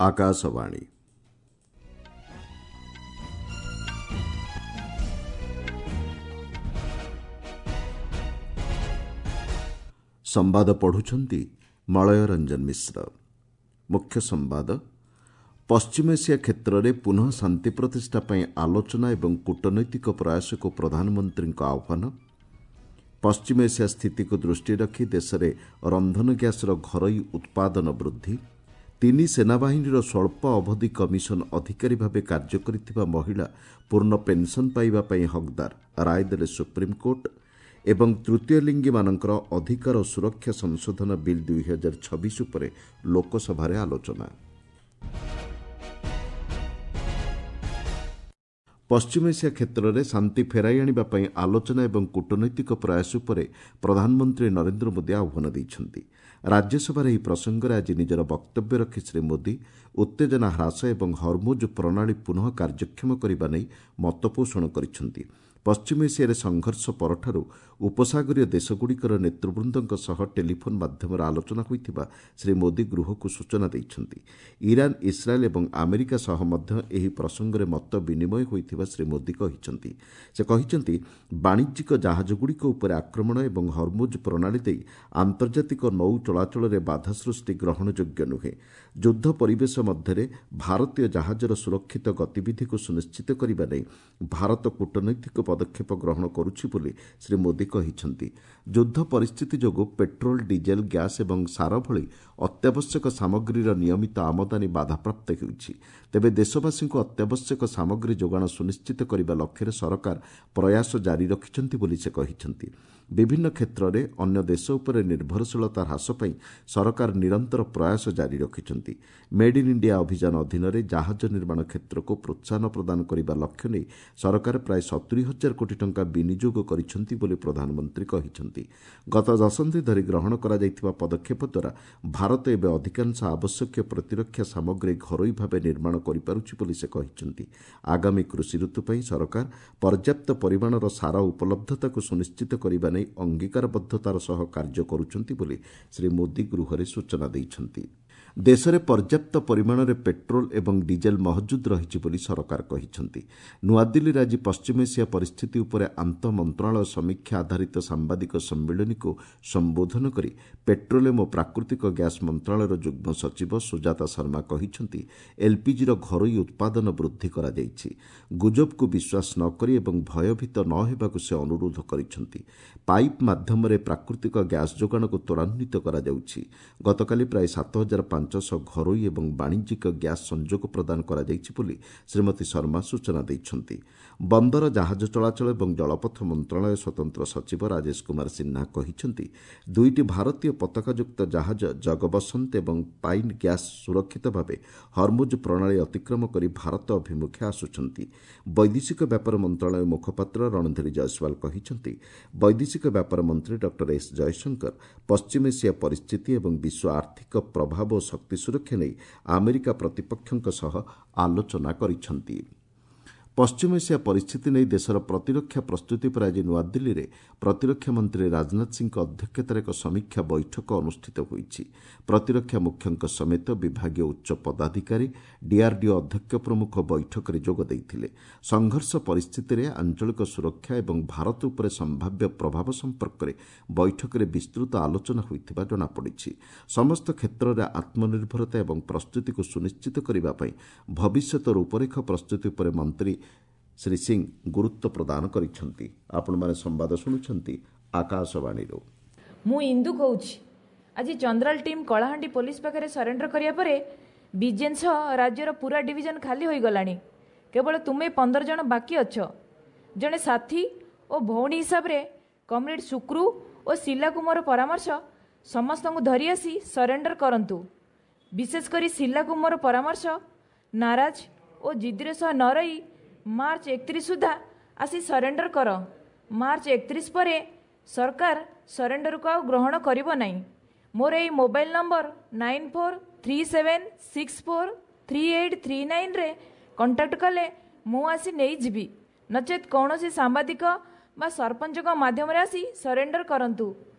ଆକାଶବାଣୀ। ସମ୍ବାଦ ପଢ଼ୁଛନ୍ତି ମଳୟ ରଞ୍ଜନ ମିଶ୍ର। ମୁଖ୍ୟ ସମ୍ବାଦ, ପଶ୍ଚିମ ଏସିଆ କ୍ଷେତ୍ରରେ ପୁନଃ ଶାନ୍ତି ପ୍ରତିଷ୍ଠା ପାଇଁ ଆଲୋଚନା ଏବଂ କୂଟନୈତିକ ପ୍ରୟାସକୁ ପ୍ରଧାନମନ୍ତ୍ରୀଙ୍କ ଆହ୍ୱାନ। ପଶ୍ଚିମ ଏସିଆ ସ୍ଥିତିକୁ ଦୃଷ୍ଟିରେ ରଖି ଦେଶରେ ରନ୍ଧନ ଗ୍ୟାସ୍ର ଘରୋଇ ଉତ୍ପାଦନ ବୃଦ୍ଧି। ତିନି ସେନାବାହିନୀର ସ୍ୱଳ୍ପ ଅବଧି କମିଶନ ଅଧିକାରୀ ଭାବେ କାର୍ଯ୍ୟ କରିଥିବା ମହିଳା ପୂର୍ଣ୍ଣ ପେନ୍ସନ୍ ପାଇବା ପାଇଁ ହକ୍ଦାର, ରାୟ ଦେଲେ ସୁପ୍ରିମକୋର୍ଟ। ଏବଂ ତୃତୀୟ ଲିଙ୍ଗୀମାନଙ୍କର ଅଧିକାର ଓ ସୁରକ୍ଷା ସଂଶୋଧନ ବିଲ୍ 2026 ଉପରେ ଲୋକସଭାରେ ଆଲୋଚନା। ପଶ୍ଚିମ ଏସିଆ କ୍ଷେତ୍ରରେ ଶାନ୍ତି ଫେରାଇ ଆଣିବା ପାଇଁ ଆଲୋଚନା ଏବଂ କୂଟନୈତିକ ପ୍ରୟାସ ଉପରେ ପ୍ରଧାନମନ୍ତ୍ରୀ ନରେନ୍ଦ୍ର ମୋଦି ଆହ୍ୱାନ ଦେଇଛନ୍ତି। ରାଜ୍ୟସଭାରେ ଏହି ପ୍ରସଙ୍ଗରେ ଆଜି ନିଜର ବକ୍ତବ୍ୟ ରଖି ଶ୍ରୀ ମୋଦି ଉତ୍ତେଜନା ହ୍ରାସ ଏବଂ ହରମୁଜ ପ୍ରଣାଳୀ ପୁନଃ କାର୍ଯ୍ୟକ୍ଷମ କରିବା ନେଇ ମତପୋଷଣ କରିଛନ୍ତି। ପଶ୍ଚିମ ଏସିଆରେ ସଂଘର୍ଷ ପରଠାରୁ ଉପସାଗରୀୟ ଦେଶଗୁଡ଼ିକର ନେତୃବୃନ୍ଦଙ୍କ ସହ ଟେଲିଫୋନ୍ ମାଧ୍ୟମରେ ଆଲୋଚନା ହୋଇଥିବା ଶ୍ରୀ ମୋଦି ଗୃହକୁ ସୂଚନା ଦେଇଛନ୍ତି। ଇରାନ୍, ଇସ୍ରାଏଲ୍ ଏବଂ ଆମେରିକା ସହ ମଧ୍ୟ ଏହି ପ୍ରସଙ୍ଗରେ ମତ ବିନିମୟ ହୋଇଥିବା ଶ୍ରୀ ମୋଦି କହିଛନ୍ତି। ସେ କହିଛନ୍ତି, ବାଣିଜ୍ୟିକ ଜାହାଜଗୁଡ଼ିକ ଉପରେ ଆକ୍ରମଣ ଏବଂ ହରମୁଜ ପ୍ରଣାଳୀ ଦେଇ ଆନ୍ତର୍ଜାତିକ ନୌ ଚଳାଚଳରେ ବାଧା ସୃଷ୍ଟି ଗ୍ରହଣଯୋଗ୍ୟ ନୁହେଁ। ଯୁଦ୍ଧ ପରିବେଶ ମଧ୍ୟରେ ଭାରତୀୟ ଜାହାଜର ସୁରକ୍ଷିତ ଗତିବିଧିକୁ ସୁନିଶ୍ଚିତ କରିବା ନେଇ ଭାରତ କୂଟନୈତିକ ପଦକ୍ଷେପ ଗ୍ରହଣ କରୁଛି ବୋଲି ଶ୍ରୀ ମୋଦି କହିଛନ୍ତି। ଯୁଦ୍ଧ ପରିସ୍ଥିତି ଯୋଗୁଁ ପେଟ୍ରୋଲ, ଡିଜେଲ, ଗ୍ୟାସ୍ ଏବଂ ସାର ଭଳି ଅତ୍ୟାବଶ୍ୟକ ସାମଗ୍ରୀର ନିୟମିତ ଆମଦାନୀ ବାଧାପ୍ରାପ୍ତ ହେଉଛି। ତେବେ ଦେଶବାସୀଙ୍କୁ ଅତ୍ୟାବଶ୍ୟକ ସାମଗ୍ରୀ ଯୋଗାଣ ସୁନିଶ୍ଚିତ କରିବା ଲକ୍ଷ୍ୟରେ ସରକାର ପ୍ରୟାସ ଜାରି ରଖିଛନ୍ତି ବୋଲି ସେ କହିଛନ୍ତି। ବିଭିନ୍ନ କ୍ଷେତ୍ରରେ ଅନ୍ୟ ଦେଶ ଉପରେ ନିର୍ଭରଶୀଳତା ହ୍ରାସ ପାଇଁ ସରକାର ନିରନ୍ତର ପ୍ରୟାସ ଜାରି ରଖିଛନ୍ତି। ମେଡ୍ ଇନ୍ ଇଣ୍ଡିଆ ଅଭିଯାନ ଅଧୀନରେ ଜାହାଜ ନିର୍ମାଣ କ୍ଷେତ୍ରକୁ ପ୍ରୋତ୍ସାହନ ପ୍ରଦାନ କରିବା ଲକ୍ଷ୍ୟ ନେଇ ସରକାର ପ୍ରାୟ 70,000 କୋଟି ଟଙ୍କା ବିନିଯୋଗ କରିଛନ୍ତି ବୋଲି ପ୍ରଧାନମନ୍ତ୍ରୀ କହିଛନ୍ତି। ଗତ ଦଶନ୍ଧି ଧରି ଗ୍ରହଣ କରାଯାଇଥିବା ପଦକ୍ଷେପ ଦ୍ୱାରା ଭାରତ ଏବେ ଅଧିକାଂଶ ଆବଶ୍ୟକୀୟ ପ୍ରତିରକ୍ଷା ସାମଗ୍ରୀ ଘରୋଇ ଭାବେ ନିର୍ମାଣ କରିପାରୁଛି ବୋଲି ସେ କହିଛନ୍ତି। ଆଗାମୀ କୃଷି ଋତୁ ପାଇଁ ସରକାର ପର୍ଯ୍ୟାପ୍ତ ପରିମାଣର ସାର ଉପଲବ୍ଧତାକୁ ସୁନିଶ୍ଚିତ କରିବା ନେଇ ଅଙ୍ଗୀକାରବଦ୍ଧତାର ସହ କାର୍ଯ୍ୟ କରୁଛନ୍ତି ବୋଲି ଶ୍ରୀ ମୋଦି ଗୃହରେ ସୂଚନା ଦେଇଛନ୍ତି। ଦେଶରେ ପର୍ଯ୍ୟାପ୍ତ ପରିମାଣରେ ପେଟ୍ରୋଲ ଏବଂ ଡିଜେଲ ମହଜୁଦ ରହିଛି ବୋଲି ସରକାର କହିଛନ୍ତି। ନୂଆଦିଲ୍ଲୀରେ ଆଜି ପଶ୍ଚିମ ଏସିଆ ପରିସ୍ଥିତି ଉପରେ ଆନ୍ତଃ ମନ୍ତ୍ରଣାଳୟ ସମୀକ୍ଷା ଆଧାରିତ ସାମ୍ବାଦିକ ସମ୍ମିଳନୀକୁ ସମ୍ବୋଧନ କରି ପେଟ୍ରୋଲିୟମ୍ ଓ ପ୍ରାକୃତିକ ଗ୍ୟାସ୍ ମନ୍ତ୍ରଣାଳୟର ଯୁଗ୍ମ ସଚିବ ସୁଜାତା ଶର୍ମା କହିଛନ୍ତି, ଏଲ୍ପିଜିର ଘରୋଇ ଉତ୍ପାଦନ ବୃଦ୍ଧି କରାଯାଇଛି। ଗୁଜବକୁ ବିଶ୍ୱାସ ନ କରି ଏବଂ ଭୟଭୀତ ନ ହେବାକୁ ସେ ଅନୁରୋଧ କରିଛନ୍ତି। ପାଇପ୍ ମାଧ୍ୟମରେ ପ୍ରାକୃତିକ ଗ୍ୟାସ୍ ଯୋଗାଣକୁ ତ୍ୱରାନ୍ୱିତ କରାଯାଉଛି। ଗତକାଲି ପ୍ରାୟ 7500 ଘରୋଇ ଏବଂ ବାଣିଜ୍ୟିକ ଗ୍ୟାସ୍ ସଂଯୋଗ ପ୍ରଦାନ କରାଯାଇଛି ବୋଲି ଶ୍ରୀମତୀ ଶର୍ମା ସୂଚନା ଦେଇଛନ୍ତି। ବନ୍ଦର, ଜାହାଜ ଚଳାଚଳ ଏବଂ ଜଳପଥ ମନ୍ତ୍ରଣାଳୟ ସ୍ୱତନ୍ତ୍ର ସଚିବ ରାଜେଶ କୁମାର ସିହ୍ନା କହିଛନ୍ତି, ଦୁଇଟି ଭାରତୀୟ ପତାକାଯୁକ୍ତ ଜାହାଜ ଜଗବସନ୍ତ ଏବଂ ପାଇନ୍ ଗ୍ୟାସ୍ ସୁରକ୍ଷିତ ଭାବେ ହରମୁଜ ପ୍ରଣାଳୀ ଅତିକ୍ରମ କରି ଭାରତ ଅଭିମୁଖେ ଆସୁଛନ୍ତି। ବୈଦେଶିକ ବ୍ୟାପାର ମନ୍ତ୍ରଣାଳୟ ମୁଖପାତ୍ର ରଣଧୀର ଜୟସ୍ୱାଲ କହିଛନ୍ତି, ବୈଦେଶିକ ବ୍ୟାପାର ମନ୍ତ୍ରୀ ଡକ୍ଟର ଏସ୍ ଜୟଶଙ୍କର ପଶ୍ଚିମ ଏସିଆ ପରିସ୍ଥିତି ଏବଂ ବିଶ୍ୱ ଆର୍ଥିକ ପ୍ରଭାବ ଓ ଶକ୍ତି ସୁରକ୍ଷା ନେଇ ଆମେରିକା ପ୍ରତିପକ୍ଷଙ୍କ ସହ ଆଲୋଚନା କରିଛନ୍ତି। ପଶ୍ଚିମ ଏସିଆ ପରିସ୍ଥିତି ନେଇ ଦେଶର ପ୍ରତିରକ୍ଷା ପ୍ରସ୍ତୁତି ଉପରେ ଆଜି ନୂଆଦିଲ୍ଲୀରେ ପ୍ରତିରକ୍ଷା ମନ୍ତ୍ରୀ ରାଜନାଥ ସିଂହଙ୍କ ଅଧ୍ୟକ୍ଷତାରେ ଏକ ସମୀକ୍ଷା ବୈଠକ ଅନୁଷ୍ଠିତ ହୋଇଛି। ପ୍ରତିରକ୍ଷା ମୁଖ୍ୟଙ୍କ ସମେତ ବିଭାଗୀୟ ଉଚ୍ଚ ପଦାଧିକାରୀ, ଡିଆର୍ଡିଓ ଅଧ୍ୟକ୍ଷ ପ୍ରମୁଖ ବୈଠକରେ ଯୋଗ ଦେଇଥିଲେ। ସଂଘର୍ଷ ପରିସ୍ଥିତିରେ ଆଞ୍ଚଳିକ ସୁରକ୍ଷା ଏବଂ ଭାରତ ଉପରେ ସମ୍ଭାବ୍ୟ ପ୍ରଭାବ ସମ୍ପର୍କରେ ବୈଠକରେ ବିସ୍ତୃତ ଆଲୋଚନା ହୋଇଥିବା ଜଣାପଡ଼ିଛି। ସମସ୍ତ କ୍ଷେତ୍ରରେ ଆତ୍ମନିର୍ଭରତା ଏବଂ ପ୍ରସ୍ତୁତିକୁ ସୁନିଶ୍ଚିତ କରିବା ପାଇଁ ଭବିଷ୍ୟତ ରୂପରେଖ ପ୍ରସ୍ତୁତି ଉପରେ ମନ୍ତ୍ରୀ ଶ୍ରୀ ସିଂ ଗୁରୁତ୍ୱ ପ୍ରଦାନ କରିଛନ୍ତି। ଆପଣମାନେ ସମ୍ବାଦ ଶୁଣୁଛନ୍ତି ଆକାଶବାଣୀରୁ। ମୁଁ ଇନ୍ଦୁ କହୁଛି। ଆଜି ଚନ୍ଦ୍ରାଲ ଟିମ୍ କଳାହାଣ୍ଡି ପୋଲିସ ପାଖରେ ସରେଣ୍ଡର କରିବା ପରେ ବିଜେନ୍ ସହ ରାଜ୍ୟର ପୁରା ଡିଭିଜନ ଖାଲି ହୋଇଗଲାଣି। କେବଳ ତୁମେ 15 ଜଣ ବାକି ଅଛ। ଜଣେ ସାଥୀ ଓ ଭଉଣୀ ହିସାବରେ କମ୍ରେଡ୍ ସୁକ୍ରୁ ଓ ଶିଲାକୁ ମୋର ପରାମର୍ଶ, ସମସ୍ତଙ୍କୁ ଧରି ଆସି ସରେଣ୍ଡର କରନ୍ତୁ। ବିଶେଷ କରି ଶିଲାକୁ ମୋର ପରାମର୍ଶ, ନାରାଜ ଓ ଜିଦ୍ଦିର ସହ ନ ରହି ମାର୍ଚ୍ଚ 31 ସୁଦ୍ଧା ଆସି ସରେଣ୍ଡର କର। ମାର୍ଚ୍ଚ 31 ପରେ ସରକାର ସରେଣ୍ଡରକୁ ଆଉ ଗ୍ରହଣ କରିବ ନାହିଁ। ମୋର ଏଇ ମୋବାଇଲ ନମ୍ବର 9437643839ରେ କଣ୍ଟାକ୍ଟ କଲେ ମୁଁ ଆସି ନେଇଯିବି। ନଚେତ୍ କୌଣସି ସାମ୍ବାଦିକ ବା ସରପଞ୍ଚଙ୍କ ମାଧ୍ୟମରେ ଆସି ସରେଣ୍ଡର କରନ୍ତୁ।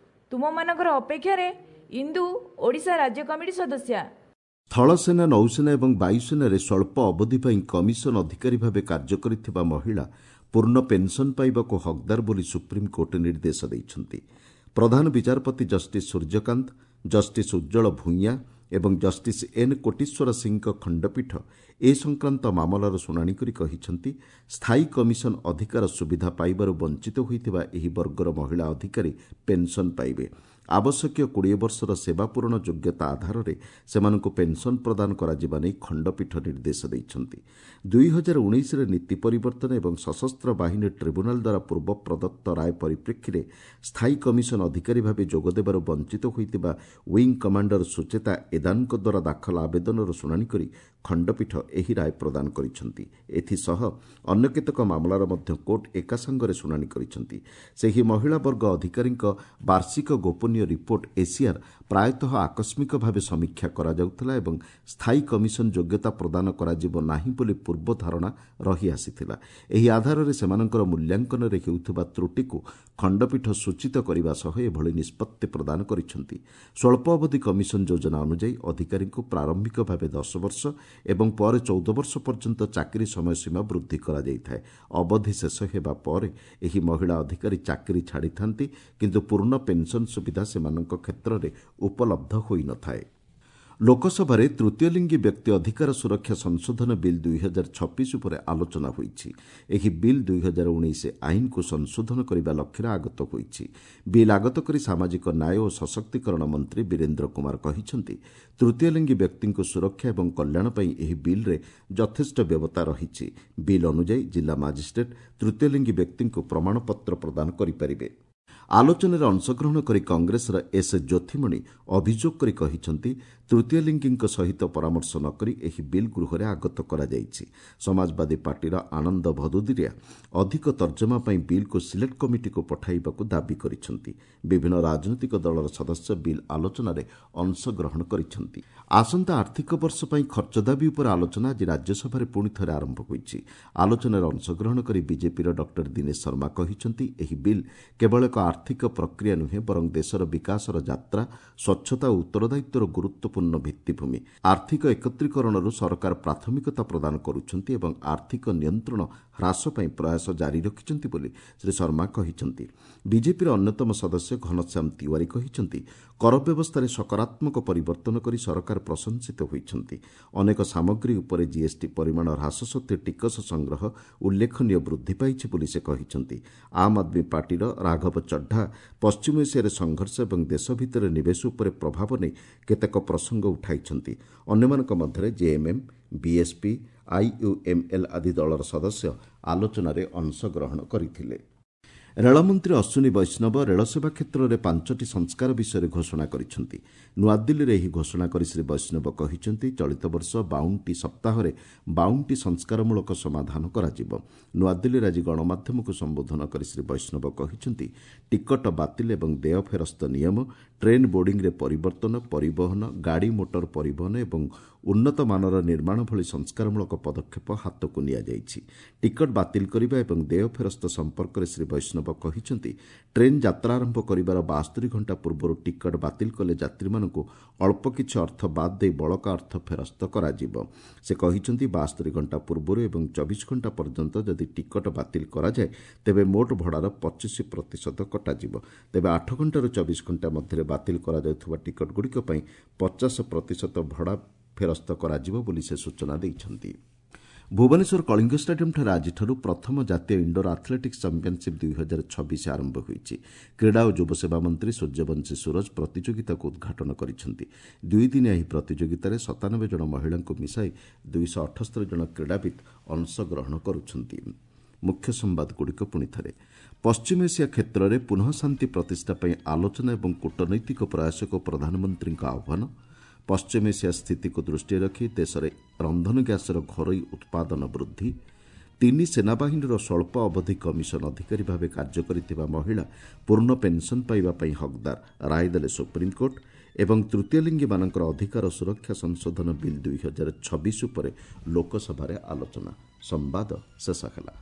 ତୁମମାନଙ୍କର ଅପେକ୍ଷାରେ ଇନ୍ଦୁ, ଓଡ଼ିଶା ରାଜ୍ୟ କମିଟି ସଦସ୍ୟା। ସ୍ଥଳସେନା, ନୌସେନା ଏବଂ ବାୟୁସେନାରେ ସ୍ୱଳ୍ପ ଅବଧି ପାଇଁ କମିଶନ ଅଧିକାରୀ ଭାବେ କାର୍ଯ୍ୟ କରିଥିବା ମହିଳା ପୂର୍ଣ୍ଣ ପେନ୍ସନ୍ ପାଇବାକୁ ହକ୍ଦାର ବୋଲି ସୁପ୍ରିମକୋର୍ଟ ନିର୍ଦ୍ଦେଶ ଦେଇଛନ୍ତି। ପ୍ରଧାନ ବିଚାରପତି ଜଷ୍ଟିସ୍ ସୂର୍ଯ୍ୟକାନ୍ତ, ଜଷ୍ଟିସ୍ ଉଜ୍ଜଳ ଭୂଇଁଆ ଏବଂ ଜଷ୍ଟିସ୍ ଏନ୍ କୋଟିଶ୍ୱର ସିଂହଙ୍କ ଖଣ୍ଡପୀଠ ଏ ସଂକ୍ରାନ୍ତ ମାମଲାର ଶୁଣାଣି କରି କହିଛନ୍ତି, ସ୍ଥାୟୀ କମିଶନ ଅଧିକାର ସୁବିଧା ପାଇବାରୁ ବଞ୍ଚିତ ହୋଇଥିବା ଏହି ବର୍ଗର ମହିଳା ଅଧିକାରୀ ପେନ୍ସନ୍ ପାଇବେ। ଆବଶ୍ୟକୀୟ 20 ବର୍ଷର ସେବା ପୂରଣ ଯୋଗ୍ୟତା ଆଧାରରେ ସେମାନଙ୍କୁ ପେନ୍ସନ୍ ପ୍ରଦାନ କରାଯିବା ନେଇ ଖଣ୍ଡପୀଠ ନିର୍ଦ୍ଦେଶ ଦେଇଛନ୍ତି। 2019ରେ ନୀତି ପରିବର୍ତ୍ତନ ଏବଂ ସଶସ୍ତ୍ର ବାହିନୀ ଟ୍ରିବ୍ୟୁନାଲ ଦ୍ୱାରା ପୂର୍ବ ପ୍ରଦତ୍ତ ରାୟ ପରିପ୍ରେକ୍ଷୀରେ ସ୍ଥାୟୀ କମିଶନ ଅଧିକାରୀ ଭାବେ ଯୋଗଦେବାରୁ ବଞ୍ଚିତ ହୋଇଥିବା ୱିଙ୍ଗ କମାଣ୍ଡର ସୁଚେତା ଏଦାନଙ୍କ ଦ୍ୱାରା ଦାଖଲ ଆବେଦନର ଶୁଣାଣି କରି ଖଣ୍ଡପୀଠ ଏହି ରାୟ ପ୍ରଦାନ କରିଛନ୍ତି। ଏଥିସହ ଅନ୍ୟ କେତେକ ମାମଲାର ମଧ୍ୟ କୋର୍ଟ ଏକାସାଙ୍ଗରେ ଶୁଣାଣି କରିଛନ୍ତି। ସେହି ମହିଳା ବର୍ଗ ଅଧିକାରୀଙ୍କ ବାର୍ଷିକ ଗୋପନୀୟ ରିପୋର୍ଟ ଏସିଆର୍ ପ୍ରାୟତଃ ଆକସ୍ମିକ ଭାବେ ସମୀକ୍ଷା କରାଯାଉଥିଲା ଏବଂ ସ୍ଥାୟୀ କମିଶନ ଯୋଗ୍ୟତା ପ୍ରଦାନ କରାଯିବ ନାହିଁ ବୋଲି ପୂର୍ବ ଧାରଣା ରହିଆସିଥିଲା। ଏହି ଆଧାରରେ ସେମାନଙ୍କର ମୂଲ୍ୟାଙ୍କନରେ ହେଉଥିବା ତ୍ରୁଟିକୁ ଖଣ୍ଡପୀଠ ସୂଚିତ କରିବା ସହ ଏଭଳି ନିଷ୍ପତ୍ତି ପ୍ରଦାନ କରିଛନ୍ତି। ସ୍ୱଳ୍ପ ଅବଧି କମିଶନ ଯୋଜନା ଅନୁଯାୟୀ ଅଧିକାରୀଙ୍କୁ ପ୍ରାରମ୍ଭିକ ଭାବେ 10 ବର୍ଷ ଏବଂ ପରେ 14 ବର୍ଷ ପର୍ଯ୍ୟନ୍ତ ଚାକିରି ସମୟସୀମା ବୃଦ୍ଧି କରାଯାଇଥାଏ। ଅବଧି ଶେଷ ହେବା ପରେ ଏହି ମହିଳା ଅଧିକାରୀ ଚାକିରି ଛାଡ଼ିଥାନ୍ତି, କିନ୍ତୁ ପୂର୍ଣ୍ଣ ପେନ୍ସନ୍ ସୁବିଧା ସେମାନଙ୍କ କ୍ଷେତ୍ରରେ ଉପଲବ୍ଧ ହୋଇନଥାଏ। ଲୋକସଭାରେ ତୃତୀୟଲିଙ୍ଗୀ ବ୍ୟକ୍ତି ଅଧିକାର ସୁରକ୍ଷା ସଂଶୋଧନ ବିଲ୍ 2026 ଉପରେ ଆଲୋଚନା ହୋଇଛି। ଏହି ବିଲ୍ 2019 ଆଇନକୁ ସଂଶୋଧନ କରିବା ଲକ୍ଷ୍ୟରେ ଆଗତ ହୋଇଛି। ବିଲ୍ ଆଗତ କରି ସାମାଜିକ ନ୍ୟାୟ ଓ ସଶକ୍ତିକରଣ ମନ୍ତ୍ରୀ ବୀରେନ୍ଦ୍ର କୁମାର କହିଛନ୍ତି, ତୃତୀୟଲିଙ୍ଗୀ ବ୍ୟକ୍ତିଙ୍କୁ ସୁରକ୍ଷା ଏବଂ କଲ୍ୟାଣ ପାଇଁ ଏହି ବିଲ୍ରେ ଯଥେଷ୍ଟ ବ୍ୟବସ୍ଥା ରହିଛି। ବିଲ୍ ଅନୁଯାୟୀ ଜିଲ୍ଲା ମାଜିଷ୍ଟ୍ରେଟ୍ ତୃତୀୟଲିଙ୍ଗୀ ବ୍ୟକ୍ତିଙ୍କୁ ପ୍ରମାଣପତ୍ର ପ୍ରଦାନ କରିପାରିବେ। ଆଲୋଚନାରେ ଅଂଶଗ୍ରହଣ କରି କଂଗ୍ରେସର ଏସ୍ ଜ୍ୟୋଥିମଣି ଅଭିଯୋଗ କରି କହିଛନ୍ତି, ତୃତୀୟଲିଙ୍ଗୀଙ୍କ ସହିତ ପରାମର୍ଶ ନ କରି ଏହି ବିଲ୍ ଗୃହରେ ଆଗତ କରାଯାଇଛି। ସମାଜବାଦୀ ପାର୍ଟିର ଆନନ୍ଦ ଭଦୁଦିରିଆ ଅଧିକ ତର୍ଜମା ପାଇଁ ବିଲ୍କୁ ସିଲେକ୍ଟ କମିଟିକୁ ପଠାଇବାକୁ ଦାବି କରିଛନ୍ତି। ବିଭିନ୍ନ ରାଜନୈତିକ ଦଳର ସଦସ୍ୟ ବିଲ୍ ଆଲୋଚନାରେ ଅଂଶଗ୍ରହଣ କରିଛନ୍ତି। ଆସନ୍ତା ଆର୍ଥିକ ବର୍ଷ ପାଇଁ ଖର୍ଚ୍ଚ ଦାବି ଉପରେ ଆଲୋଚନା ଆଜି ରାଜ୍ୟସଭାରେ ପୁଣି ଥରେ ଆରମ୍ଭ ହୋଇଛି। ଆଲୋଚନାରେ ଅଂଶଗ୍ରହଣ କରି ବିଜେପିର ଡକ୍ଟର ଦିନେଶ ଶର୍ମା କହିଛନ୍ତି, ଏହି ବିଲ୍ କେବଳ ଏକ ଆର୍ଥିକ ପ୍ରକ୍ରିୟା ନୁହେଁ, ବରଂ ଦେଶର ବିକାଶର ଯାତ୍ରା, ସ୍ୱଚ୍ଛତା ଓ ଉତ୍ତରଦାୟିତ୍ୱର ଗୁରୁତ୍ୱପୂର୍ଣ୍ଣ ଭିତ୍ତିଭୂମି। ଆର୍ଥିକ ଏକତ୍ରୀକରଣରୁ ସରକାର ପ୍ରାଥମିକତା ପ୍ରଦାନ କରୁଛନ୍ତି ଏବଂ ଆର୍ଥିକ ନିୟନ୍ତ୍ରଣ ହ୍ରାସ ପାଇଁ ପ୍ରୟାସ ଜାରି ରଖିଛନ୍ତି ବୋଲି ଶ୍ରୀ ଶର୍ମା କହିଛନ୍ତି। ବିଜେପିର ଅନ୍ୟତମ ସଦସ୍ୟ ଘନଶ୍ୟାମ ତିୱାରୀ କହିଛନ୍ତି, କର ବ୍ୟବସ୍ଥାରେ ସକାରାତ୍ମକ ପରିବର୍ତ୍ତନ କରି ସରକାର ପ୍ରଶଂସିତ ହୋଇଛନ୍ତି। ଅନେକ ସାମଗ୍ରୀ ଉପରେ ଜିଏସ୍ଟି ପରିମାଣ ହ୍ରାସ ସତ୍ତ୍ୱେ ଟିକସ ସଂଗ୍ରହ ଉଲ୍ଲେଖନୀୟ ବୃଦ୍ଧି ପାଇଛି ବୋଲି ସେ କହିଛନ୍ତି। ଆମ୍ ଆଦମୀ ପାର୍ଟିର ରାଘବ ଚଡ୍ଡା ପଶ୍ଚିମ ଏସିଆରେ ସଂଘର୍ଷ ଏବଂ ଦେଶ ଭିତରେ ନିବେଶ ଉପରେ ପ୍ରଭାବ ନେଇ କେତେକ ପ୍ରସଙ୍ଗ ଉଠାଇଛନ୍ତି। ଅନ୍ୟମାନଙ୍କ ମଧ୍ୟରେ ଜେଏମ୍ଏମ୍, ବିଏସ୍ପି, ଆଇୟୁଏମ୍ଏଲ୍ ଆଦି ଦଳର ସଦସ୍ୟ ଆଲୋଚନାରେ ଅଂଶଗ୍ରହଣ କରିଥିଲେ। ରେଳମନ୍ତ୍ରୀ ଅଶ୍ୱିନୀ ବୈଷ୍ଣବ ରେଳସେବା କ୍ଷେତ୍ରରେ 5ଟି ସଂସ୍କାର ବିଷୟରେ ଘୋଷଣା କରିଛନ୍ତି। ନୂଆଦିଲ୍ଲୀରେ ଏହି ଘୋଷଣା କରି ଶ୍ରୀ ବୈଷ୍ଣବ କହିଛନ୍ତି, ଚଳିତ ବର୍ଷ 52ଟି ସପ୍ତାହରେ 52ଟି ସଂସ୍କାରମୂଳକ ସମାଧାନ କରାଯିବ। ନୂଆଦିଲ୍ଲୀରେ ଆଜି ଗଣମାଧ୍ୟମକୁ ସମ୍ବୋଧନ କରି ଶ୍ରୀ ବୈଷ୍ଣବ କହିଛନ୍ତି, ଟିକଟ ବାତିଲ ଏବଂ ଦେୟ ଫେରସ୍ତ ନିୟମ, ଟ୍ରେନ୍ ବୋର୍ଡିଂରେ ପରିବର୍ତ୍ତନ, ପରିବହନ, ଗାଡ଼ି ମୋଟର ପରିବହନ ଏବଂ ଉନ୍ନତ ମାନର ନିର୍ମାଣ ଭଳି ସଂସ୍କାରମୂଳକ ପଦକ୍ଷେପ ହାତକୁ ନିଆଯାଇଛି। ଟିକଟ ବାତିଲ କରିବା ଏବଂ ଦେୟ ଫେରସ୍ତ ସମ୍ପର୍କରେ ଶ୍ରୀ ବୈଷ୍ଣବ କହିଛନ୍ତି, ଟ୍ରେନ୍ ଯାତ୍ରା ଆରମ୍ଭ କରିବାର 72 ଘଣ୍ଟା ପୂର୍ବରୁ ଟିକଟ ବାତିଲ କଲେ ଯାତ୍ରୀମାନଙ୍କୁ ଅଳ୍ପ କିଛି ଅର୍ଥ ବାଦ୍ ଦେଇ ବଳକା ଅର୍ଥ ଫେରସ୍ତ କରାଯିବ। ସେ କହିଛନ୍ତି, 72 ଘଣ୍ଟା ପୂର୍ବରୁ ଏବଂ 24 ଘଣ୍ଟା ପର୍ଯ୍ୟନ୍ତ ଯଦି ଟିକଟ ବାତିଲ କରାଯାଏ ତେବେ ମୋଟ ଭଡ଼ାର 25% କଟାଯିବ। ତେବେ 8 ଘଣ୍ଟାରୁ 24 ଘଣ୍ଟା ମଧ୍ୟରେ ବାତିଲ କରାଯାଉଥିବା ଟିକଟଗୁଡ଼ିକ ପାଇଁ 50% ଭଡ଼ା ଫେରସ୍ତ କରାଯିବ ବୋଲି ସେ ସୂଚନା ଦେଇଛନ୍ତି। ଭୁବନେଶ୍ୱର କଳିଙ୍ଗ ଷ୍ଟାଡିୟମ୍ଠାରେ ଆଜିଠାରୁ ପ୍ରଥମ ଜାତୀୟ ଇଣ୍ଡୋର ଆଥଲେଟିକ୍ସ ଚାମ୍ପିୟନସିପ୍ 2026 ଆରମ୍ଭ ହୋଇଛି। କ୍ରୀଡ଼ା ଓ ଯୁବସେବା ମନ୍ତ୍ରୀ ସୂର୍ଯ୍ୟବଂଶୀ ସୂରଜ ପ୍ରତିଯୋଗିତାକୁ ଉଦ୍ଘାଟନ କରିଛନ୍ତି। ଦୁଇଦିନିଆ ଏହି ପ୍ରତିଯୋଗିତାରେ 97 ଜଣ ମହିଳାଙ୍କୁ ମିଶାଇ 278 ଜଣ କ୍ରୀଡ଼ାବିତ୍ ଅଂଶଗ୍ରହଣ କରୁଛନ୍ତି। ମୁଖ୍ୟ ସମ୍ବାଦଗୁଡ଼ିକ ପୁଣି ଥରେ। ପଶ୍ଚିମ ଏସିଆ କ୍ଷେତ୍ରରେ ପୁନଃ ଶାନ୍ତି ପ୍ରତିଷ୍ଠା ପାଇଁ ଆଲୋଚନା ଏବଂ କୂଟନୈତିକ ପ୍ରୟାସକୁ ପ୍ରଧାନମନ୍ତ୍ରୀଙ୍କ ଆହ୍ୱାନ। ପଶ୍ଚିମ ଏସିଆ ସ୍ଥିତିକୁ ଦୃଷ୍ଟିରେ ରଖି ଦେଶରେ ରନ୍ଧନ ଗ୍ୟାସ୍ର ଘରୋଇ ଉତ୍ପାଦନ ବୃଦ୍ଧି। 3 ସେନାବାହିନୀର ସ୍ୱଳ୍ପ ଅବଧି କମିଶନ ଅଧିକାରୀ ଭାବେ କାର୍ଯ୍ୟ କରିଥିବା ମହିଳା ପୂର୍ଣ୍ଣ ପେନ୍ସନ୍ ପାଇବା ପାଇଁ ହକ୍ଦାର, ରାୟ ଦେଲେ ସୁପ୍ରିମକୋର୍ଟ। ଏବଂ ତୃତୀୟଲିଙ୍ଗୀମାନଙ୍କର ଅଧିକାର ସୁରକ୍ଷା ସଂଶୋଧନ ବିଲ୍ 2026 ଉପରେ ଲୋକସଭାରେ ଆଲୋଚନା। ସମ୍ବାଦ ଶେଷ ହେଲା।